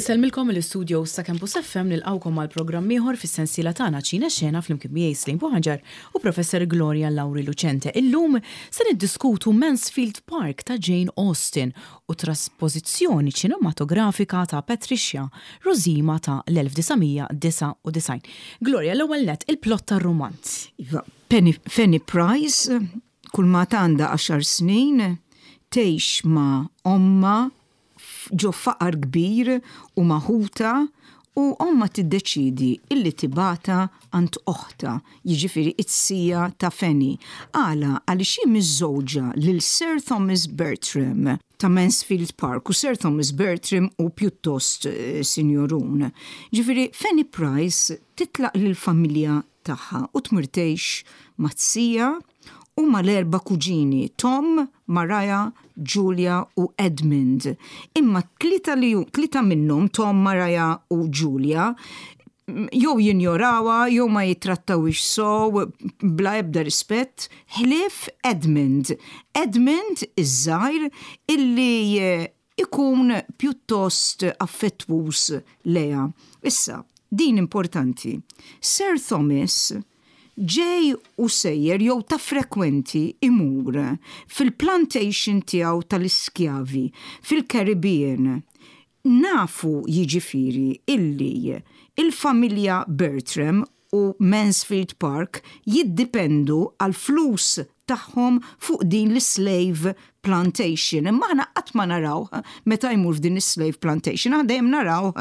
Insellmilkom mill-istudios ta' Campus FM nilqgħukom għal programm ieħor fis-sensiela tagħna Ċine Xena flimkien miegħi Slim Buħaġar u Professor Gloria Lauri Lucente. Illum se niddiskutu Mansfield Park ta' Jane Austen u traspożizzjoni ċinematografika ta' Patricia Rosima ta' l-1999. Gloria, l-ewwel nett, il-plot tar-rumanz. Iva, Penny, Fanny Price, kull ma għandha għaxar snin, tgħix ma' ommha ġo faqar kbir u ma' ħutha u ommha tiddeċiedi illi tibgħatha għand oħtha, jiġifieri it-sija ta' Fanny. Għala? Għaliex hi miżżewġa lil Sir Thomas Bertram ta' Mansfield Park u Sir Thomas Bertram hu pjuttost sinjorun. Ġifieri Fanny Price titlaq lill-familja tagħha u tmur tgħix mat-sija u mal-erba' kuġini, Tom, Mariah, Julia u Edmund. Imma t-tlieta li tlieta minnhom, Tom, Mariah u Julia, jew jinjorawha jew ma jittrattawhiex sew bla ebda rispett, ħlief Edmund. Edmund iż-żgħir illi ikun pjuttost affettwuż lejha. Issa, din importanti. Sir Thomas ġej u sejjer jew ta' frekwenti imur fil-plantation tiegħu tal-iskjavi fil-Caribbean. Nafu jiġifieri illi l-familja Bertram u Mansfield Park jiddipendu għall-flus tagħhom fuq din l-slave plantation. Imma aħna qatt ma narawh meta jmur f'din is-slave plantation, aħna dejjem narawh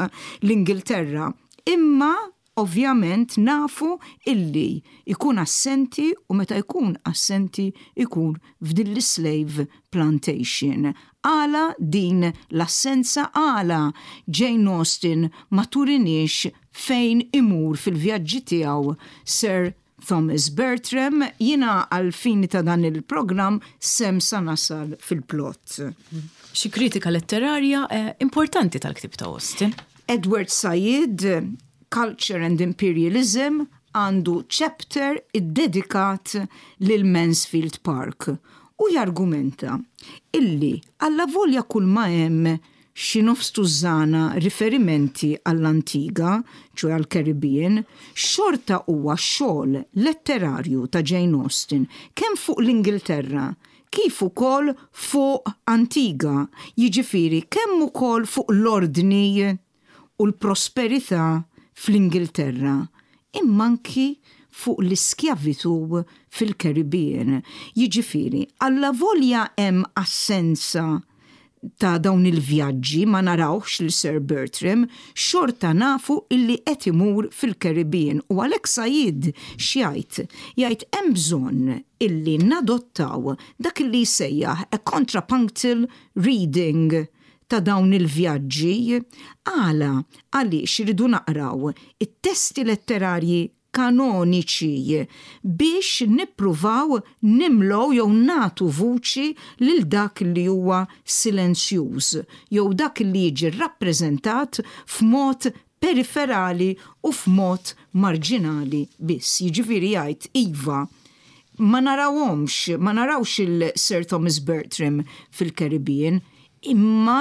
l-Ingilterra. Imma ovvjament nafu illi jkun assenti u meta jkun assenti jkun f'din l-slave plantation. Għala din l-assenza? Għala Jane Austen ma turiniex fejn imur fil-vjaġġi tiegħu Sir Thomas Bertram? Jiena għall-fini ta' dan il-programm s'hemm sa nasal fil-plot. Xi kritika letterarja importanti tal-ktieb ta' Austen. Edward Said, Culture and Imperialism, għandu chapter iddedikat lil Mansfield Park u jargumenta illi allavolja kulma hemm xi nofs tużżana riferimenti għall-Antiga, ċoe għall-Caribbean, xorta huwa xogħol letterarju ta' Jane Austen kemm fuq l-Ingilterra kif ukoll fuq Antiga, jiġifieri kemm ukoll fuq l-ordni u l-prosperità fl-Ingilterra, imma anki fuq l-iskjavitù fil-Caribbean. Jiġifieri, allavolja hemm assenza ta' dawn il-vjaġġi, ma narawhx lil Sir Bertram, xorta nafu illi qed imur fil-Caribbean u għalhekk Said x'jgħid? Jgħid hemm bżonn illi nadottaw dak illi jsejjaħ a contrapunctal reading ta' dawn il-vjaġġi. Għala? Għaliex irridu naqraw it-testi letterarji kanoniċi biex nippruvaw nimlew jew nagħtu vuċi lil dak li huwa silenzjuż jew dak li jiġi rrappreżentat f'mod periferali u f'mod marġinali biss. Jiġifieri jgħid iva, ma narawhomx, ma narawx il Sir Thomas Bertram fil-Caribbean, imma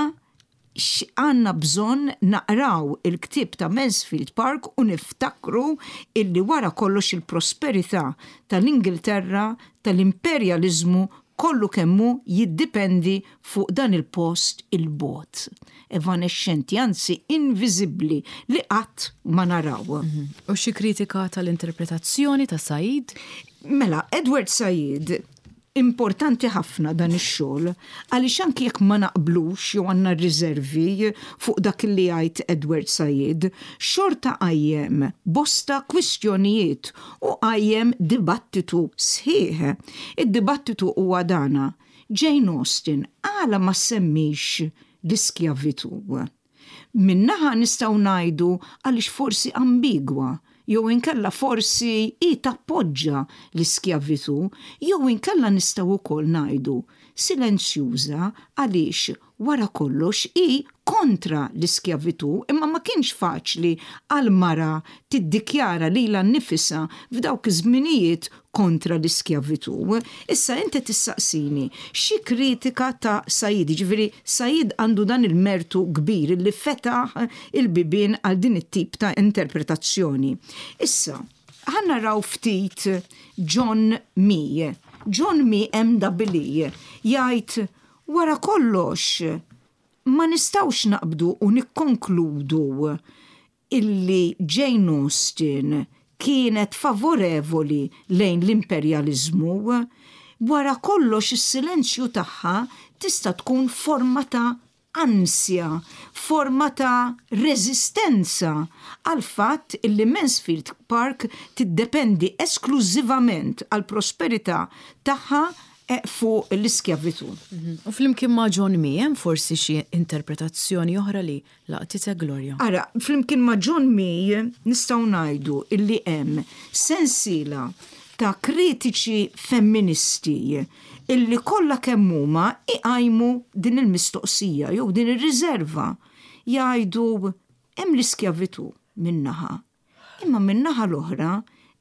Għandna bżonn naqraw il-ktieb ta' Mansfield Park u niftakru illi wara kollox il-prosperità tal-Ingilterra, tal-imperjaliżmu kollu kemm hu jiddipendi fuq dan il-post 'il bogħod, evanexxenti, anzi inviżibbli li qatt ma naraw. U xi kritika tal-interpretazzjoni ta' Said? Mela, Edward Said Importanti ħafna dan ix-xogħol għaliex anki jekk ma naqblux jew għandna riservi fuq dak li jgħid Edward Said, xorta qajjem bosta kwistjonijiet u qajjem dibattitu sħiħ. Id-dibattitu huwa dana, Jane Austen għala ma ssemmix l-iskjavitù? Minn naħa nistgħu ngħidu għaliex forsi ambigwa, jew inkella forsi hi tappoġġa l-iskjavitù, jew inkella nistgħu wkoll ngħidu silenzjuża għaliex Wara kollox hi kontra l-iskjavitù imma ma kienx faċli għal mara tiddikjara lilha nnifisha f'dawk iż-żminijiet kontra l-iskjavitù. Issa inti tissaqsini xi kritika ta' Said, jiġifieri Said għandu dan il-mertu kbir li fetaħ il-bibien għal din it-tip ta' interpretazzjoni. Issa, ħa naraw ftit John Mee. John Mee MWE jgħid Wara kollox, ma nistgħux naqbdu u nikkonkludu illi Jane Austen kienet favorevoli lejn l-imperjaliżmu. Wara kollox is-silenzju tagħha tista' tkun forma ta' ansja, forma ta' reżistenza għall-fatt illi Mansfield Park tiddependi esklużivament għall-prosperità tagħha fuq l-iskjavitù. U flimkien ma' John Mee hemm forsi xi interpretazzjoni oħra li laqtitek Gloria? Ara, flimkien ma' John Mee nistgħu ngħidu illi hemm sensiela ta' kritiċi femministi illi kollha kemm huma iqajmu din il-mistoqsija jew din ir-riżerva. Jgħidu hemm l-iskjavitù minn naħa, Imma min-naħa l-oħra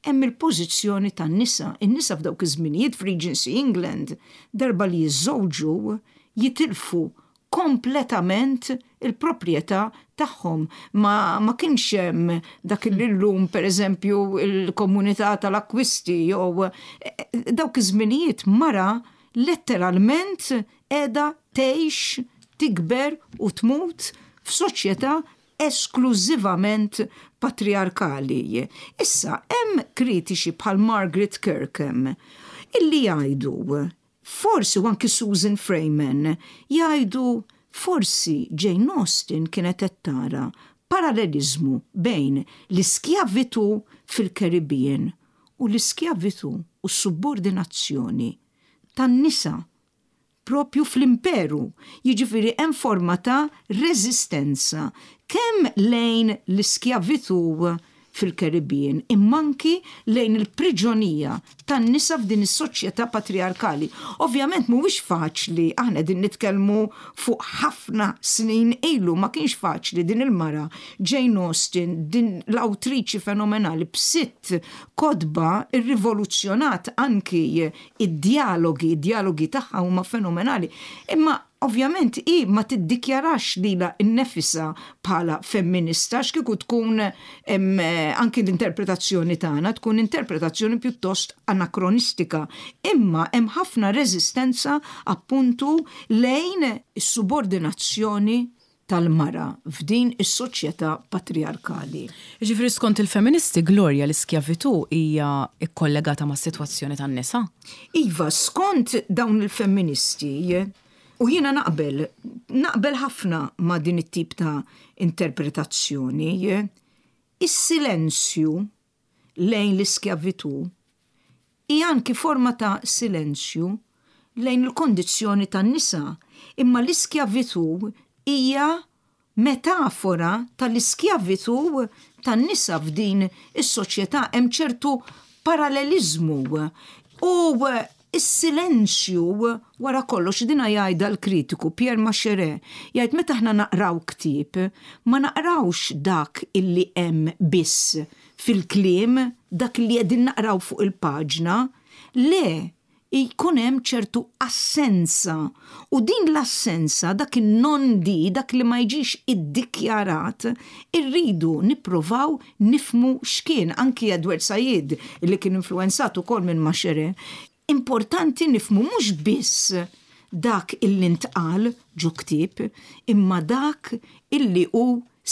hemm il-pożizzjoni tan-nisa. In-nisa f'dawk iż-żminijiet f'Regency England darba li jiżżewġu jitilfu kompletament il-proprjetà tagħhom. Ma, ma kienx hemm dak li llum pereżempju l-komunità tal-akkwisti jew dawk iż-żminijiet mara letteralment qiegħda tgħix, tikber u tmut f'soċjetà esklużivament patrijarkali. Issa, hemm kritiċi bħal Margaret Kirkham illi jgħidu, forsi u anki Susan Freyman, jgħidu forsi Jane Austen kienet qed tara paralleliżmu bejn l-iskjavitù fil-Caribbean u l-iskjavitù u s-subordinazzjoni tan-nisa proprju fl-imperu, jiġifieri hemm forma ta' reżistenza kemm lejn l-iskjavitù fil-Caribbean imma anki lejn il-priġonija tan-nisa f'din is-soċjetà patrijarkali. Ovvjament mhuwiex faċli, aħna qegħdin nitkellmu fuq ħafna snin ilu, ma kienx faċli din il-mara Jane Austen, din l-awtriċi fenomenali b'sitt kotba rrivoluzzjonat anki Id-djalogi, id-djalogi tagħha huma fenomenali. Imma ovvjament hi ma tiddikjarax lilha nnefisha bħala femminista għax kieku tkun anki l-interpretazzjoni tagħna tkun interpretazzjoni pjuttost anakronistika. Imma hemm ħafna reżistenza appuntu lejn is-subordinazzjoni tal-mara f'din is-soċjetà patrijarkali. Jiġifieri skont il-feministi, Gloria, l-iskjavitù hija kkollegata mas-sitwazzjoni tan-nisa? Iva, skont dawn il-femministi, u jiena naqbel, naqbel ħafna ma' din it-tip ta' interpretazzjoni, is-silenzju lejn l-iskjavitù hi anki forma ta' silenzju lejn il-kondizzjoni tan-nisa, imma l-iskjavitù hija metafora tal-iskjavitù tan-nisa f'din is-soċjetà, hemm ċertu paralleliżmu u Is-silenzju, wara kollox, dinha jgħidha l-kritiku Pierre Macherey, jgħid meta aħna naqraw ktieb, ma naqrawx dak illi hemm biss fil-kliem, dak li qegħdin naqraw fuq il-paġna, le, jkun hemm ċertu assenza u din l-assenza, dak in-non-dit, dak li ma jiġix iddikjarat, irridu nipprovaw nifhmu x'kien, anki Edward Said li kien influwenzat ukoll minn Macherey, importanti nifhmu mhux biss dak illi ntqal ġo ktieb imma dak illi hu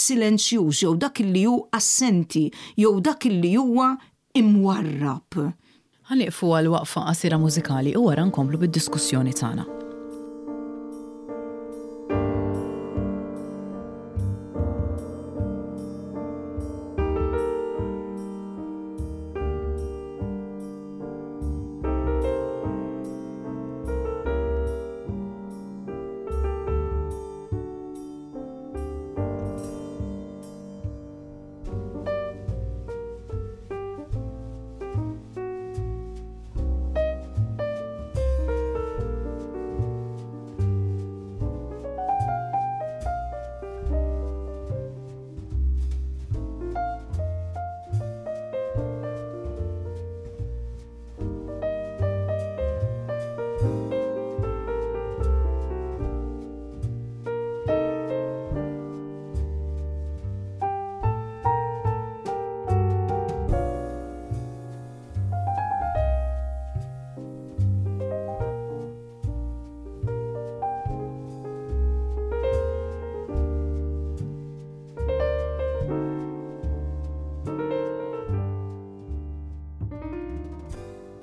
silenzjuż jew dak illi hu assenti jew dak illi huwa imwarrab. Ħa nieqfu għal waqfa qasira mużikali u wara nkomplu bid-diskussjoni tagħna.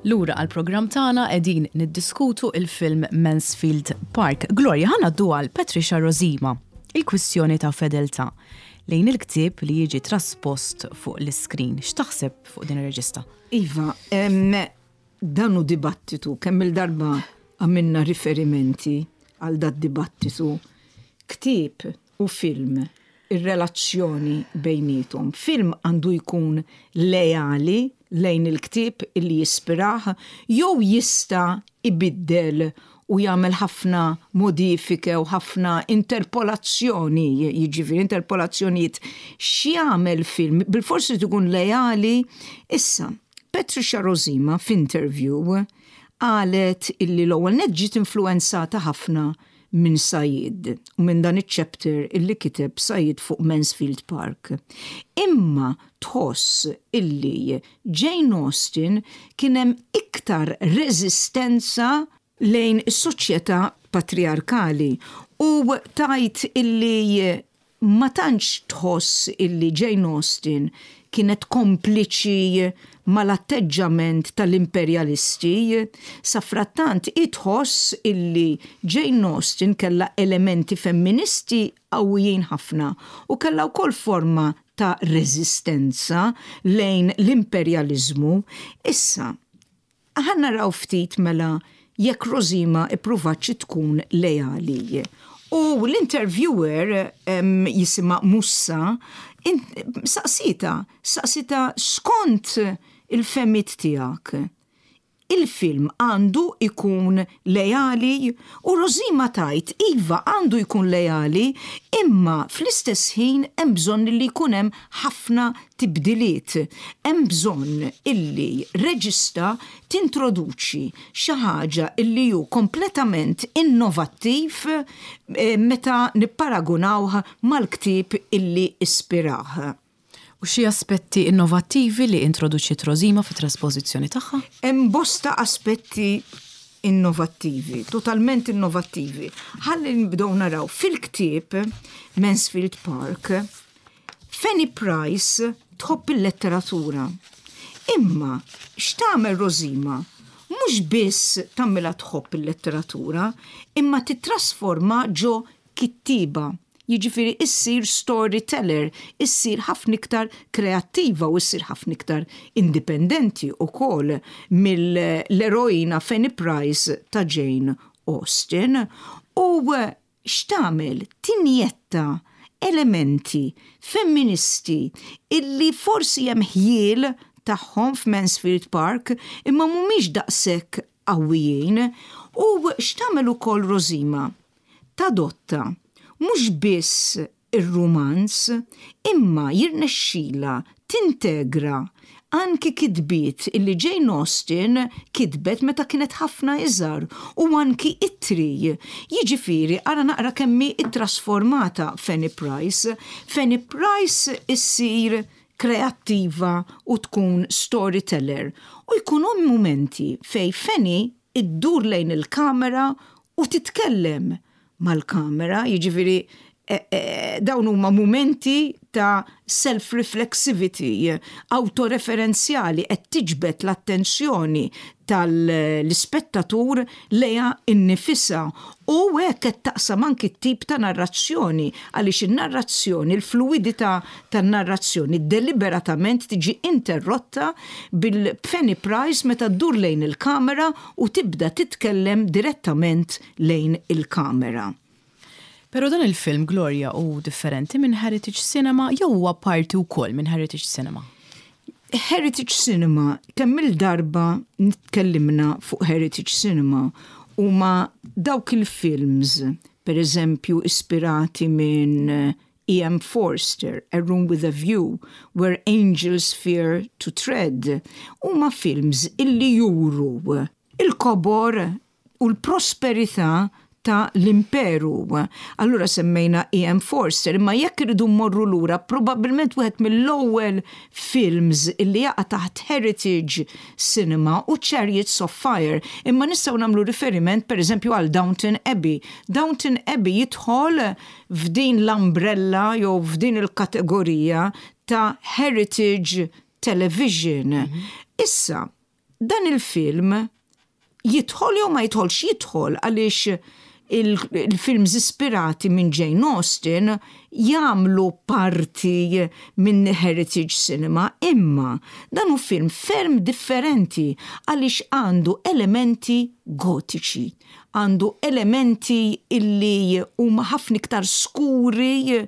Lura għall-programm tagħna qegħdin niddiskutu il-film Mansfield Park. Gloria, ħa ngħaddu għal Patricia Rozema, il-kwistjoni ta' fedeltà lejn il-ktieb li jiġi traspost fuq l-iskrin. X'taħseb fuq din ir-reġista? Iva, dan hu dibattitu, kemm il-darba għamilna riferimenti għal dat dibattitu. Ktieb u film, ir-relazzjoni bejniethom. Film għandu jkun leali lejn il-ktieb illi jispirah jew jista' ibiddel u jagħmel ħafna modifike u ħafna interpolazzjoni, jiġifieri interpolazzjonijiet. X'jagħmel film? Bilfors irid ikun leali. Issa, Patricia Rozema f'interview qalet illi l-ewwel nett ġiet influwenzata ħafna minn Said u minn dan iċ-chapter illi kiteb Said fuq Mansfield Park. Imma tħoss illi Jane Austen kien hemm iktar reżistenza lejn is-soċjetà patrijarkali u tgħid illi ma tantx tħoss illi Jane Austen kienet kompliċi mal-atteġġament tal-imperjalisti. Safrattant hi tħoss illi Jane Austen kellha elementi femministi qawwijin ħafna u kellha wkoll forma ta' reżistenza lejn l-imperjaliżmu. Issa, Ħa naraw ftit mela jekk Rosima ippruvatx tkun leali. U l-interviewer jisimha Mussa saqsietha, saqsietha skont il-fehmiet tiegħek, il-film għandu jkun leali? U Rosima tgħid iva għandu jkun leali imma fl-istess ħin hemm bżonn li jkun hemm ħafna tibdiliet. Hemm bżonn illi reġista tintroduċi xi ħaġa illi hu kompletament innovattiv meta nipparagunawh mal-ktieb illi ispirah. U xi aspetti innovattivi li introduċiet Rosima fit-traspożizzjoni tagħha? Hemm bosta aspetti innovattivi, totalment innovattivi. Ħalli nibdew naraw fil-ktieb Mansfield Park, Fanny Price tħobb il-letteratura. Imma x'tagħmel Rosima? Mhux biss tagħmilha tħobb il-letteratura, imma tittrasforma ġo kittieba. Jiġifieri issir storyteller, issir ħafna iktar kreattiva u issir ħafna iktar indipendenti wkoll mill-eroina Fanny Price ta' Jane Austen. U x'tagħmel? Tinjetta elementi femministi illi forsi hemm ħjiel tagħhom f'Mansfield Park imma mhumiex daqshekk qawwijin. U x'tagħmel ukoll Rosima? Tadotta mhux biss ir-rumanz imma jirnexxilha tintegra anki kitbiet illi Jane Austen kitbet meta kienet ħafna iżgħar u anki ittri. Jiġifieri ara naqra kemm hi ttrasformata Fanny Price. Fanny Price issir kreattiva u tkun storyteller u jkun hemm mumenti fejn Fanny iddur lejn il-kamera u titkellem mal-kamera, jiġifieri dawn huma mumenti ta' self-reflexivity, awtoreferenzjali, qed tiġbed l-attenzjoni tal-ispettatur lejha nnifisha u hekk qed taqsam anki t-tip ta' narrazzjoni għaliex in-narrazzjoni, il-fluwidità tan-narrazzjoni deliberatament tiġi interrotta bil-Fanny Price meta ddur lejn il-kamera u tibda titkellem direttament lejn il-kamera. Però dan il-film, Gloria, hu differenti minn Heritage Cinema jew huwa parti wkoll minn Heritage Cinema? Heritage Cinema, kemm-il darba tkellimna fuq Heritage Cinema, huma dawk il-films, per eżempju, ispirati minn E.M. Forster, A Room with a View, Where Angels Fear to Tread, huma films illi juru il-kobor u l-prosperità ta' l-imperu. Allura semmejna E.M. Forster, imma jekk irridu mmorru lura, probabbilment wieħed mill-ewwel films illi jaqa' taħt Heritage Cinema hu Chariots of Fire, imma nistgħu nagħmlu riferiment pereżempju għal Downton Abbey. Downton Abbey jidħol f'din l-umbrella jew f'din il-kategorija ta' heritage television. Issa, Dan il-film jidħol jew ma jidħolx jidħol għaliex il-films ispirati minn Jane Austen jagħmlu parti minn heritage cinema imma dan hu film ferm differenti għaliex għandu elementi gotiċi, għandu elementi illi huma ħafna iktar skuri,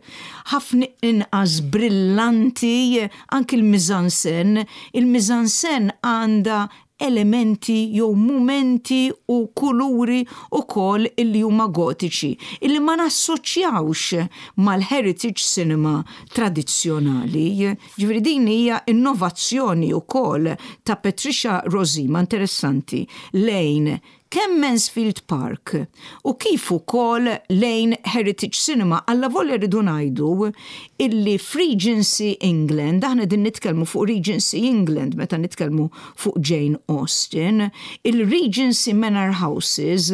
ħafna inqas brillanti, anki l-mise-en-scène. Il-mise-en-scène għandha elementi jew mumenti u kuluri wkoll illi huma gotiċi, illi ma nassoċjawx mal-heritage cinema tradizzjonali. Ġifieri din hija innovazzjoni wkoll ta' Patricia Rozema interessanti lejn kemm Mansfield Park u kif ukoll lejn Heritage Cinema allavolja rridu ngħidu illi f'Regency England, aħna qegħdin nitkellmu fuq Regency England meta nitkellmu fuq Jane Austen, il-Regency Manor Houses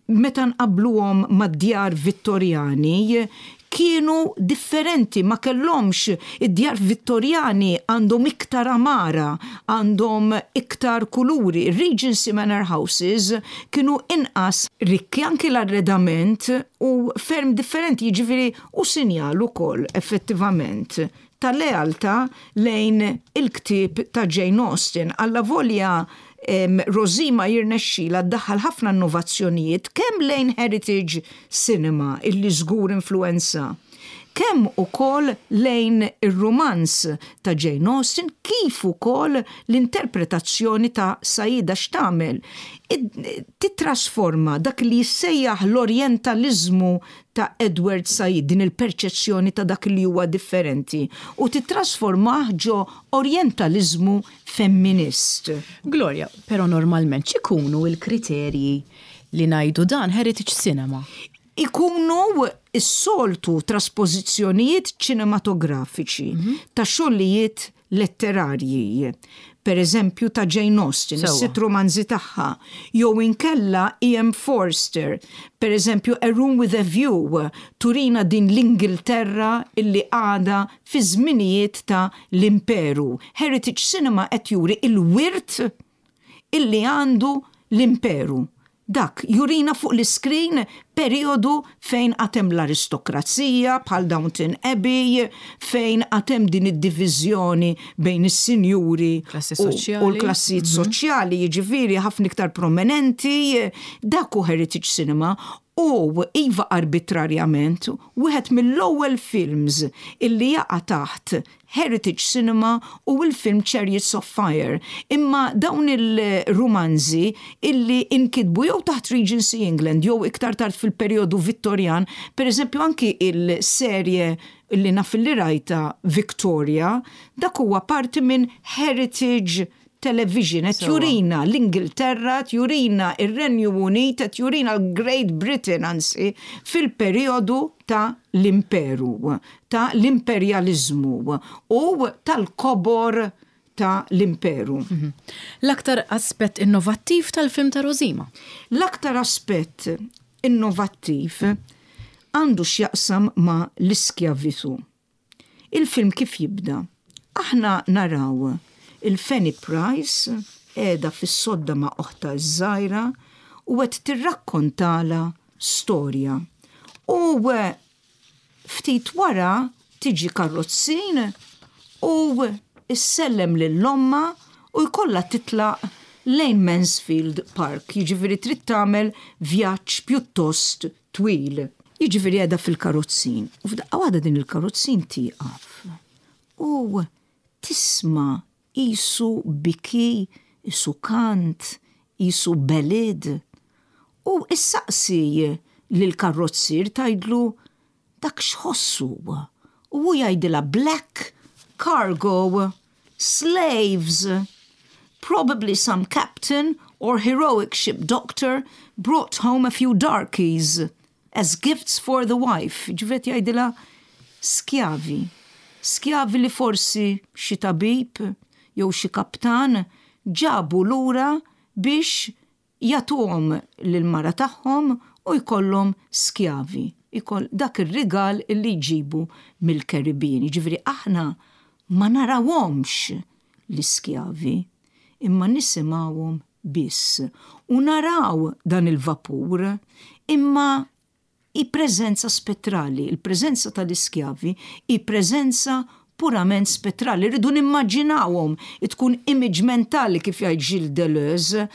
meta nqabbluhom mad-djar Vittorjani kienu differenti, ma kellhomx, id-djar Vittorjani għandhom iktar għamara, għandhom iktar kuluri, ir-Regency Manor Houses kienu inqas rikki, anki l-arredament hu ferm differenti, jiġifieri hu sinjal ukoll effettivament ta' lealtà lejn il-ktieb ta' Jane Austen. Allavolja Rosima jirnexxilha ddaħħal ħafna innovazzjonijiet kemm lejn heritage cinema illi żgur influwenza, kemm ukoll lejn ir-rumanz ta' Jane Austen kif ukoll l-interpretazzjoni ta' Saida x'tagħmel? Tittrasforma dak li jissejjaħ l-orjentaliżmu ta' Edward Said, din il-perċezzjoni ta' dak li huwa differenti, u tittrasformah ġo orjentaliżmu femminist. Gloria, Però normalment x'ikunu l-kriterji li ngħidu dan heritage cinema? Ikunu s-soltu traspożizzjonijiet ċinematografiċi ta' xogħlijiet letterarji, per eżempju ta' Jane Austen, is-sitt rumanzi tagħha, jew inkella E. M. Forster, per eżempju A Room with a View, turina din l-Ingilterra illi għadha fi żminijiet ta' l-imperu. Heritage Cinema qed juri l-wirt illi għandu l-imperu. Dak jurina fuq l-iskrin perijodu fejn għad hemm l-aristokrazija bħal Downton Abbey, fejn għad hemm din id-diviżjoni bejn is-sinjuri u l-klassijiet soċjali, jiġifieri ħafna iktar prominenti. Dak hu heritage cinema u iva arbitrarjament wieħed mill-ewwel films illi jaqa' taħt Heritage Cinema u l-film Chariots of Fire. Imma dawn il-rumanzi illi inkitbu jew taħt Regency England jew iktar tard fil-perjodu Vittorjan, per eżempju anki il-serje illi naf illi rajtha Victoria, dak huwa parti minn Heritage television qed jurina l-Ingilterra, qed jurina r-Renju Unit, qed jurina l-Great Britain anzi fil-perijodu ta' l-imperu, ta' l-imperjaliżmu u tal-kobor ta' l-imperu. L-aktar aspett innovattiv tal-film ta' Rosima? L-aktar aspett innovattiv għandu x'jaqsam ma' l-iskjavitu. Il-film kif jibda? Aħna naraw il-Fanny Price qiegħda fis-sodda ma' oħtha ż-żgħira u qed tirrakkontalha storja. U ftit wara tiġi karrozzin u ssellem lil ommha u jkollha titlaq lejn Mansfield Park, jiġifieri trid tagħmel vjaġġ pjuttost twil. Jiġifieri qiegħda fil-karozzin u f'daqqa waħda din il-karozzin tieqaf u tisma' qisu biki, qisu kant, qisu ballad u issaqsi lill-karrozzier tgħidlu dak x'ħoss hu u hu jgħidilha black cargo. Slaves! Probably some captain or heroic ship doctor brought home a few darkies as gifts for the wife. Ġifieri qed jgħidilha skjavi. Skjavi li forsi xi tabib jew xi kaptan ġabu lura biex jagħtuhom lill-mara tagħhom u jkollhom skjavi, ikoll dak ir-rigal li jġibu mill-Caribbean. Jiġifieri aħna ma narawhomx l-iskjavi. imma nisimgħuhom biss. U naraw dan il-vapur, imma hi preżenza spettrali, il-preżenza tal-iskjavi hi preżenza purament spettrali, irridu nimmaġinawhom, tkun image mentali kif jgħid Gilles Deleuze,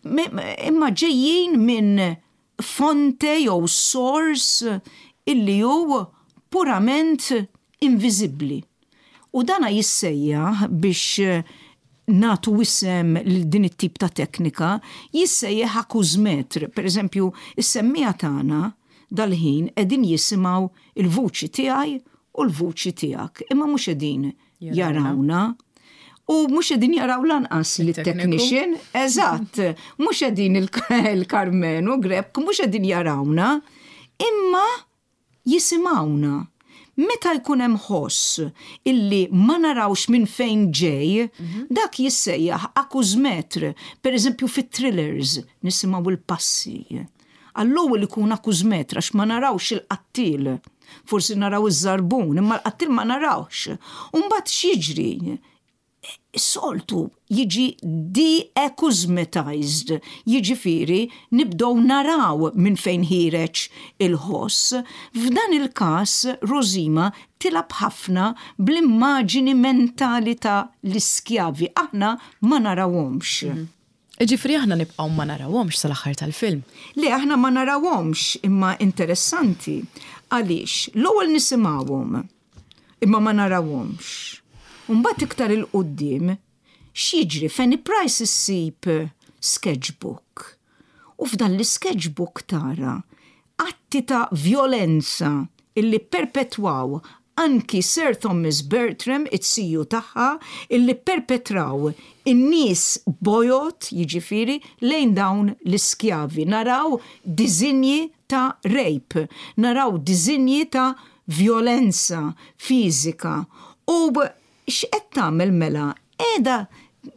imma ġejjin minn fonte jew source illi hu purament inviżibbli. U dana jissejjaħ biex nagħtu isem lil din it-tip ta' teknika, jissejjaħ acousemetre. Per eżempju, is-semmiegħa tagħna dal-ħin qegħdin jisimgħu l-vuċi tiegħi u l-vuċi tiegħek, imma mhux qegħdin jarawna. U mhux qegħdin jaraw lanqas li technician, eżatt, mhux qegħdin il-Karmenu Grech, mhux qegħdin jarawna, imma jisimgħuna. Meta jkun hemm ħoss illi ma narawx minn fejn ġej, dak jissejjaħ acousemetre. Per eżempju fit-thrillers nisimgħu l-passi. Għall-ewwel ikun acousemetre għax ma narawx il-qattiel. Forsi naraw iż-żarbun, imma l-qattiel ma narawx. U mbagħad x'jiġri? Is-soltu jiġi de-acousmatized, jiġifieri nibdew naraw minn fejn ħiereġ il-ħoss. F'dan il-każ Rosima tilgħab ħafna bl-immaġini mentali ta' l-iskjavi, aħna ma narawhomx. Jiġifieri aħna nibqgħu ma narawhomx sal-aħħar tal-film? Le, aħna ma narawhomx, imma interessanti għaliex l-ewwel nisimgħuhom. Imma ma narawhomx. U mbagħad iktar 'il quddiem, x'jiġri? Fanny Price issib sketchbook. U f'dan l-isketchbook tara atti ta' vjolenza illi pperpetwaw anki Sir Thomas Bertram, it-siju tagħha, illi pperpetraw in-nies bojod, jiġifieri, lejn dawn l-iskjavi. Naraw diżinji ta' rape, naraw diżinji ta' vjolenza fiżika u x'qed tagħmel mela? Qiegħda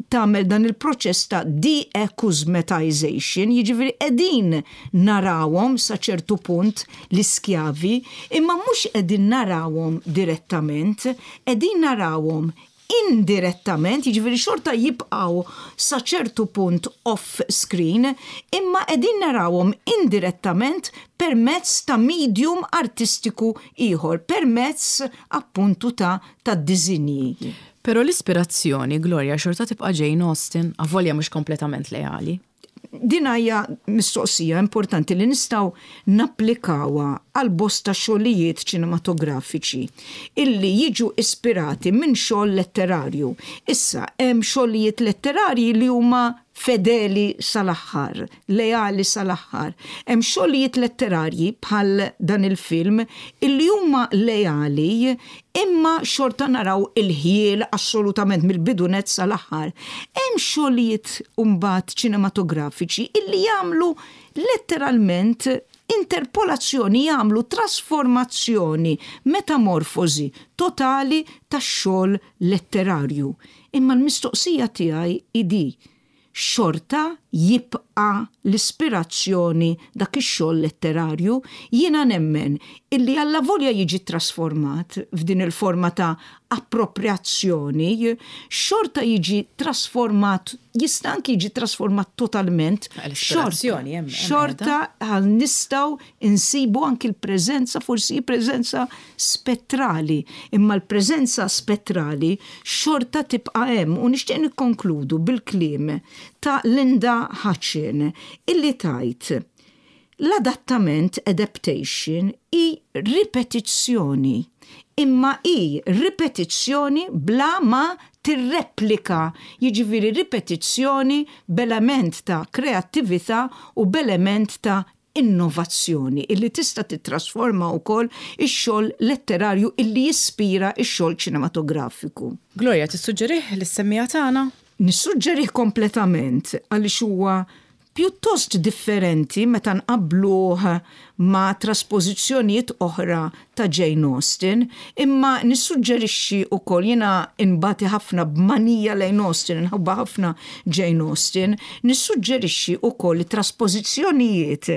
tagħmel dan il-proċess ta' de-acusmatization, jiġifieri qegħdin narawhom sa ċertu punt l-iskjavi, imma mhux qegħdin narawhom direttament, qegħdin narawhom indirettament, jiġifieri xorta jibqgħu sa ċertu punt off screen, imma qegħdin narawhom indirettament permezz ta' medium artistiku ieħor, permezz appuntu ta' tad-diżinji. Però l-ispirazzjoni, Gloria, xorta tibqa' Jane Austen, avolja mhux kompletament leali. Din hija mistoqsija importanti li nistgħu napplikawha għal bosta xogħlijiet ċinematografiċi illi jiġu ispirati minn xogħol letterarju. Issa, hemm xogħlijiet letterarji li huma fedeli sal-aħħar, leali sal-aħħar. Hemm xogħlijiet letterarji bħal dan il-film illi huma leali imma xorta naraw il-ħjiel assolutament mill-bidu nett sal-aħħar. Hemm xogħlijiet imbagħad ċinematografiċi illi jagħmlu letteralment interpolazzjoni, jagħmlu trasformazzjoni, metamorfożi totali tax-xogħol letterarju. Imma l-mistoqsija tiegħi hi di, xorta jibqa' l-ispirazzjoni dak ix-xogħol letterarju, jiena nemmen illi allavolja jiġi ttrasformat f'din il-forma ta' approprjazzjoni, xorta jiġi trasformat, jista' anki jiġi trasformat totalment, xorta nistgħu nsibu anki l-preżenza, forsi hi preżenza spettrali, imma l-preżenza spettrali xorta tibqa' hemm u nixtieq nikkonkludu bil-kliem ta' Linda Hutcheon illi tgħid, L-adattament, adaptation, hi ripetizzjoni, imma hi ripetizzjoni bla ma tirreplika, jiġifieri ripetizzjoni b'element ta' kreattività u b'element ta' innovazzjoni illi tista' tittrasforma wkoll ix-xogħol letterarju illi jispira x-xogħol ċinematografiku. Gloria, tissuġġerih lis-semmiegħa tagħna? Nissuġġerih kompletament għaliex huwa pjuttost differenti meta nqabbluh ma' traspożizzjonijiet oħra ta' Jane Austen, imma nissuġġerixxi wkoll, jiena nbati ħafna b'manija lejn Austen, inħobbha ħafna Jane Austen, nissuġġerixxi wkoll it-traspożizzjonijiet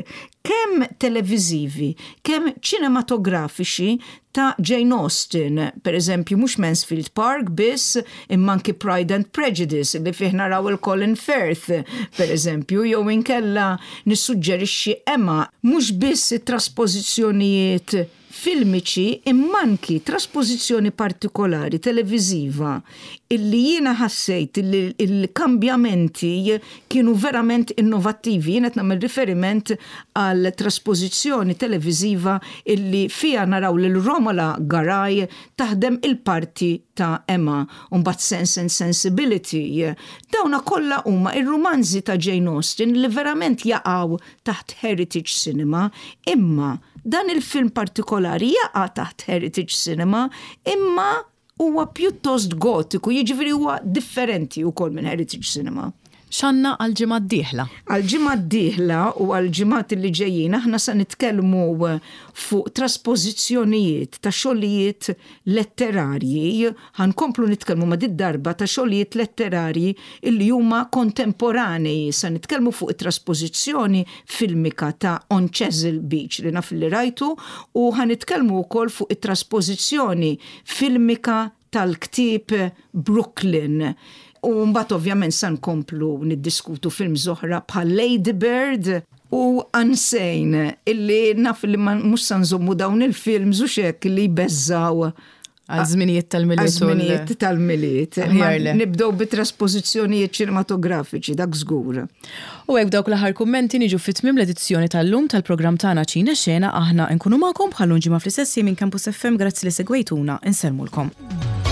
kemm televiżivi, kemm ċinematografiċi. ta' Jane Austen, per eżempju mhux Mansfield Park biss, imma anki Pride and Prejudice li fih naraw il-Colin Firth, per eżempju, jew inkella nissuġġerixxi Emma, mhux biss it-traspożizzjonijiet filmiċi imma anki traspożizzjoni partikolari televiżiva illi jiena ħassejt illi l-kambjamenti kienu verament innovattivi. Jien qed nagħmel riferiment għal traspożizzjoni televiżiva illi fiha naraw lil Romola Garai taħdem il-parti ta' Emma u mbagħad Sense and Sensibility. Dawna kollha huma r-rumanzi ta' Jane Austen li verament jaqgħu taħt Heritage Cinema, imma dan il-film partikolari jaqa' taħt Heritage Cinema, imma huwa pjuttost gotiku, jiġifieri huwa differenti wkoll minn Heritage Cinema. X'għandna għall-ġimgħa d-dieħla? Għall-ġimgħa d-dieħla u għall-ġimgħat li ġejjin aħna se nitkellmu fuq traspożizzjonijiet ta' xogħlijiet letterarji Ħa nkomplu nitkellmu ma' did-darba ta' xogħlijiet letterarji illi huma kontemporanei. Se nitkellmu fuq it-traspożizzjoni filmika ta' On Chesil Beach li naf li rajtu u ħa nitkellmu wkoll fuq it-traspożizzjoni filmika tal-ktieb Brooklyn. U mbagħad ovvjament se nkomplu niddiskutu films oħra bħal Lady Bird u Unsane illi naf li mhux se nżommu dawn il-films u x'hekk li jbeżżgħu Għal żminijiet tal-Milied. Għal żminijiet tal-Milied. Nibdew bi traspożizzjonijiet ċinematografiċi, dak żgur. U hekk b'dawk l-aħħar kummenti niġu fi tmiem l-edizzjoni tal-lum tal-programm tagħna Ċina Xena aħna nkunu magħkom bħal ġimgħa fl-istess minn Campus FM grazzi li segwejtuna insellmulkom.